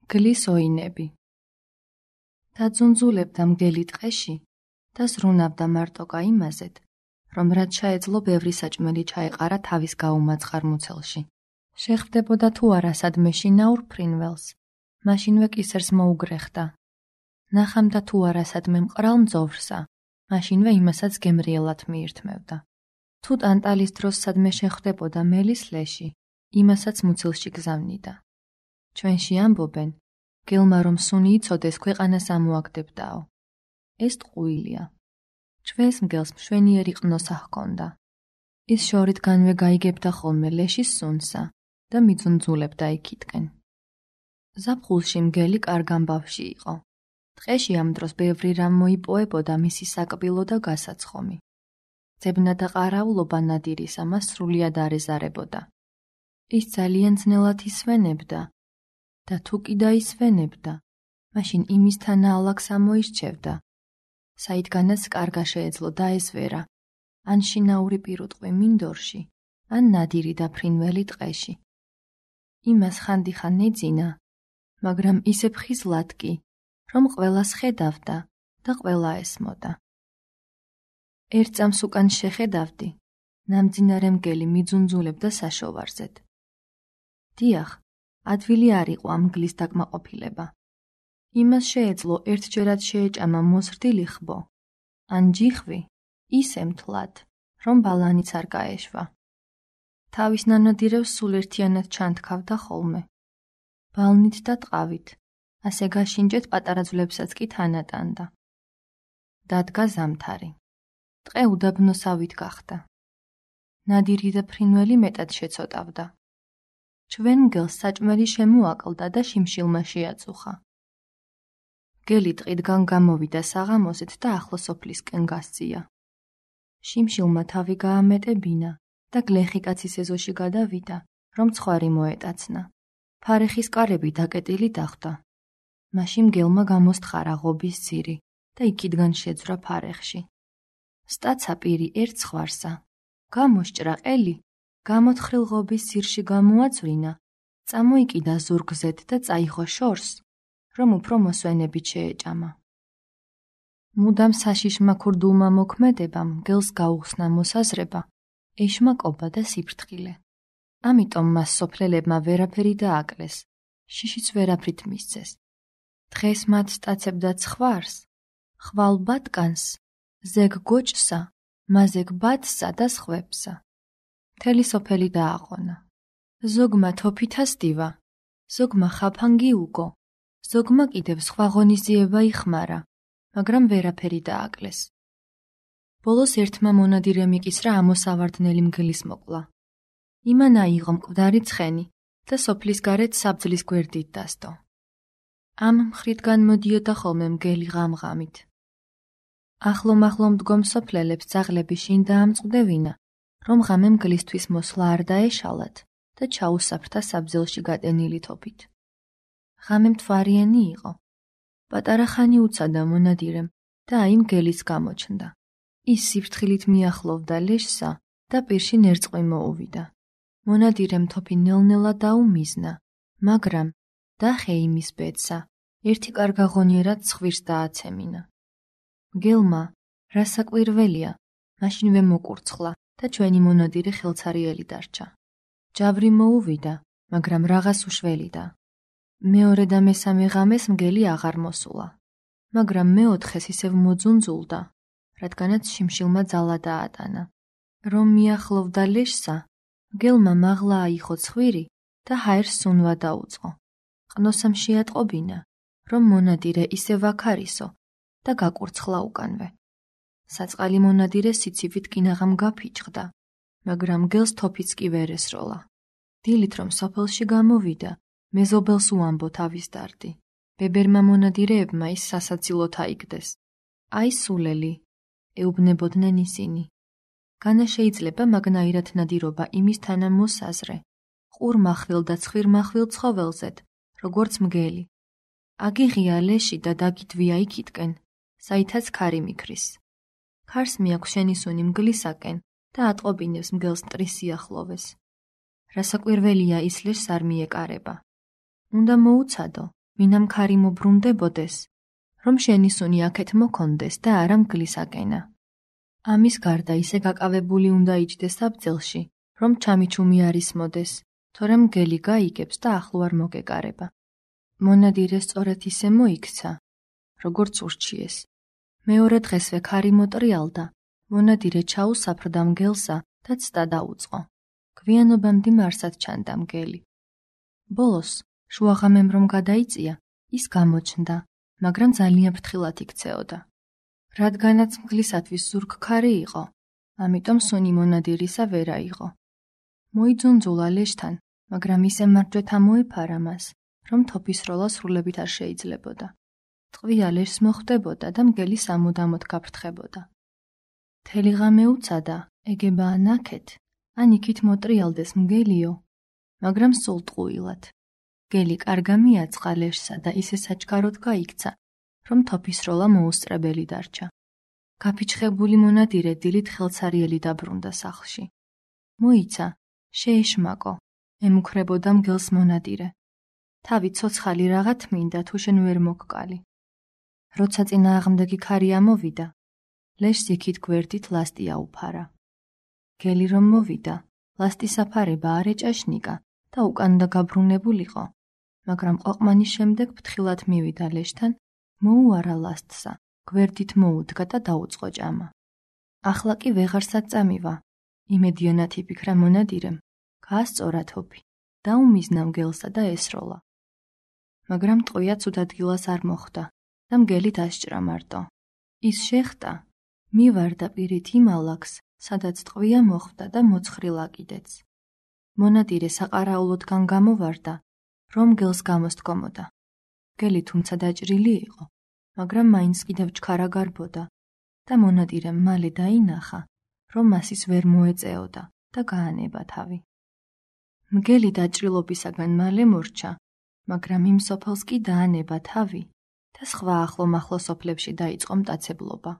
გლის ოინები. დაძუნძულებდა მგელი ტყეში და ზრუნავდა მარტოკა იმაზედ, რომ რაც შეეძლო ბევრი საჭმელი ჩაეყარა თავის გაუმაწყარ მუცელში. შეხვდებოდა თუ არა სადმე შინაურ ფრინველს, მაშინვე კისერს მოუგრეხდა. ნახამდა თუ არა სადმე მყრალ მძოვრსა, მაშინვე იმასაც გემრიელად მიირთმევდა. თუ ტანტალის დროს სადმე შეხვდებოდა მელის ლეში, იმასაც მუცელში გზავნიდა. ჩვენში ამბობენ, გელმა რომ სუნი იცოდეს ქვეყანას ამოაგდებდაო. ეს ტყუილია. ჩვენს მგელს მშვენიერი ყნოსა ჰქონდა. ის შორითგანვე გაიგებდა ხოლმე ლეშის სუნსა და მიძუნძულებდა იქითკენ. ზაფხულში მგელი კარგ ამბავში იყო. ტყეში ამ დროს ბევრი რამ მოიპოვებოდა მისი საკბილო და გასაცხომი. ძებნა და ყარაულობა ნადირისა მას სრულიად არ ეზარებოდა. ის ძალიან ძნელად ისვენებდა და თუ კი დაისვენებდა, მაშინ იმისთან ალაგს ამოირჩევდა, საიდანაც კარგა შეეძლო დაესვერა, ან შინაური პირუტყვი მინდორში, ან ნადირი და ფრინველი ტყეში. იმას ხანდახან ეძინა, მაგრამ ისე ფხიზლად კი, რომ ყველას ხედავდა და ყველა ესმოდა. ერთ წამს უკან შეხედავდი, ნამძინარე მგელი მიძუნძულებდა საშოვარზედ. დიახ, ადვილი არ იყო ამ მგლის დაკმაყოფილება. იმას შეეძლო ერთჯერად შეეჭამა მოზრდილი ხბო, ან ჯიხვი ისე მთლად, რომ ბალანიც არ გაეშვა. თავის ნანადირევს სულ ერთიანად ჩანთქავდა ხოლმე. ბალნით და ტყავით, ასე გაშინჯეთ პატარა ძვლებსაც კი თანატანდა. დადგა ზამთარი. ტყე უდაბნოსავით გახდა. ნადირი და ფრინველი მეტად შეცოტავდა. ჩვენ მგელს საჭმელი შემოაკლდა და შიმშილმა შეაწუხა. მგელი ტყიდგან გამოვიდა საღამოსით და ახლო სოფლისკენ გასწია. შიმშილმა თავი გაამეტებინა და გლეხი კაცის ეზოში გადავიდა, რომ ცხვარი მოეტაცნა. ფარეხის კარები დაკეტილი დახვდა. მაშინ მგელმა გამოსთხარა ღობის ძირი და იქიდან შეძვრა ფარეხში. სტაცა პირი ერთ ცხვარსა, გამოსჭრა ყელი, გამოთხრილ ღობის ძირში გამოაწვლინა, წამოიკიდა ზურგზედ და წაიღო შორს, რომ უფრო მოსვენებით შეეჭამა. მუდამ საშიშმა ქურდულმა მოქმედებამ მგელს გაუხსნა მოსაზრება, ეშმაკობა და სიფრთხილე. ამიტომ მას სოფლელებმა ვერაფერი დააკლეს, შიშიც ვერაფრით მისცეს. დღეს მათ სტაცებდა ცხვარს, ხვალ ბატკანს, ზეგ გოჭსა, მაზეგ ბადსა და სხვებსა. მთელი სოფელი დააყონა. ზოგმა თოფითას დივა, ზოგმა ხაფანგი უგო, ზოგმა კიდევ სხვა ღონისძიება იხმარა, მაგრამ ვერაფერი დააკლეს. ბოლოს ერთმა მონადირემ იკისრა ამოსავარდნელი მგლის მოკვლა. იმან აიღო მკვდარი ცხენი და სოფლის გარეთ საბძლის გვერდით დასდო. ამ მხრიდან მოდიოდა ხოლმე მგელი ღამ-ღამით. ახლო-მახლო მდგომ სოფლელებს ძაღლები შინ დაამწყდებინა, რომ ღამე მგლისთვის მოსვლა არ დაეშალათ და ჩაუსაფრთა საბძელში გატენილი თოფით. ღამე მთვარიანი იყო. პატარა ხანი უცადა მონადირემ და აი მგელიც გამოჩნდა. ის სიფრთხილით მიახლოვდა ლეშსა და პირში ნერწყვი მოუვიდა. მონადირემ თოფი ნელ-ნელა დაუმიზნა, მაგრამ დახე იმის ბედსა, ერთი კარგა ღონიერად ცხვირს დააცემინა. მგელმა, რა საკვირველია, მაშინვე მოკურცხლა და ჩვენი მონადირე ხელცარიელი დარჩა. ჯავრი მოუვიდა, მაგრამ რაღაც უშველიდა. მეორე და მესამე ღამეს მგელი აღარ მოსულა, მაგრამ მეოთხეს ისევ მოძუნძულდა, რადგანაც შიმშილმა ძალა დაატანა. რომ მიახლოვდა ლეშსა, მგელმა მაღლა აიხო ცხვირი და ჰაერს სუნვა დაუწყო. ყნოსამ შეატყობინა, რომ მონადირე ისევ აქარისო და გაკურცხლა უკანვე. საწყალი მონადირე სიცივით კინაღამ გაფიჭხდა, მაგრამ მგელს თოფიც კი ვერ ესროლა. დილით რომ სოფელში გამოვიდა, მეზობელს უამბო თავის დარდი. ბებერმა მონადირეებმა ის სასაცილოდ აიგდეს. აი სულელი, ეუბნებოდნენ ისინი. განა შეიძლება მაგნაირად ნადირობა იმისთანა მოსაზრე, ყურ მახვილ და ცხვირ მახვილ ცხოველზედ, როგორც მგელი. აგიღია ლეში და დაგითვია იქითკენ, საითაც ქარი მიქრის. ქარს მიაქვს შენი სუნი მგლისაკენ და ატყობინებს მგელს მტრის სიახლოვეს. რა საკვირველია ის ლეშს არ მიეკარება. უნდა მოუცადო, ვინამ ქარი მობრუნდებოდეს, რომ შენი სუნი აქეთ მოქონდეს და არა მგლისაკენა. ამის გარდა ისე გაკავებული უნდა იჯდეს საბძელში, რომ ჩამიჩუმი არ ისმოდეს, თორემ მგელი გაიგებს და ახლო არ მოგეკარება. მონადირე სწორედ ისე მოიქცა, როგორც ურჩიეს. მეორე დღესვე ქარი მოტრიალდა, მონადირე ჩაუსაფრდა მგელსა და ცდა დაუწყო. გვიანობა მდიმარსად ჩანდა მგელი. ბოლოს, შუაღამემ რომ გადაიწია, ის გამოჩნდა, მაგრამ ძალიან ფრთხილად იქცეოდა. რადგანაც მგლისათვის ზურგ ქარი იყო, ამიტომ სუნი მონადირისა ვერ აიღო. მოიძუნძულა ლეშთან, მაგრამ ისე მარჯვეთა მოეფარა მას, რომ თოფისროლა სრულებით არ შეიძლებოდა. ტყვია ლეშს მოხვდებოდა და მგელი სამუდამოდ გაფრთხებოდა. მთელი ღამე უცადა, ეგება ან აქეთ, ან იქით მოტრიალდეს მგელიო, მაგრამ სულ ტყუილად. მგელი კარგა მიაწყა ლეშსა და ისე საჩქაროდ გაიქცა, რომ თოფისროლა მოუსწრებელი დარჩა. გაფიჩხებული მონადირე დილით ხელცარიელი დაბრუნდა სახლში. მოიცა, შეეშმაკო, ემუქრებოდა მგელს მონადირე. თავი ცოცხალი რაღა თმინდა, თუ შენ ვერ მოგკალი. როცა წინააღმდეგი ქარი ამოვიდა, ლეშს იქით გვერდით ლასტი აუფარა. მგელი რომ მოვიდა, ლასტის აფარება არ ეჭაშნიკა და უკანდა გაბრუნებულიყო, მაგრამ ყვაყმანის შემდეგ ფრთხილად მივიდა ლეშთან, მოუარა ლასტსა, გვერდით მოუდგა და დაუწყო ჭამა. ახლა კი ვეღარსად წამივა, იმედიანად იფიქრა მონადირემ, გაასწორა თოფი, დაუმიზნა მგელსა და ესროლა. მაგრამ ტყვია ცუდ ადგილას არ მოხვდა და მგელი დასჭრა მარტო. ის შეხტა, მივარდა პირით იმ ალაგს, სადაც ტყვია მოხვდა და მოცხრილა კიდეც. მონადირე საყარაულოდგან გამოვარდა, რომ მგელს გამოსდგომოდა. მგელი თუმცა დაჭრილი იყო, მაგრამ მაინც კიდევ ჩქარა გარბოდა და მონადირემ მალე დაინახა, რომ მას ის ვერ მოეწეოდა და გაანება თავი. მგელი დაჭრილობისაგან მალე მორჩა, მაგრამ იმ სოფელს კი დაანება თავი და სხვა ახლო-მახლო სოფლებში დაიწყო მტაცებლობა.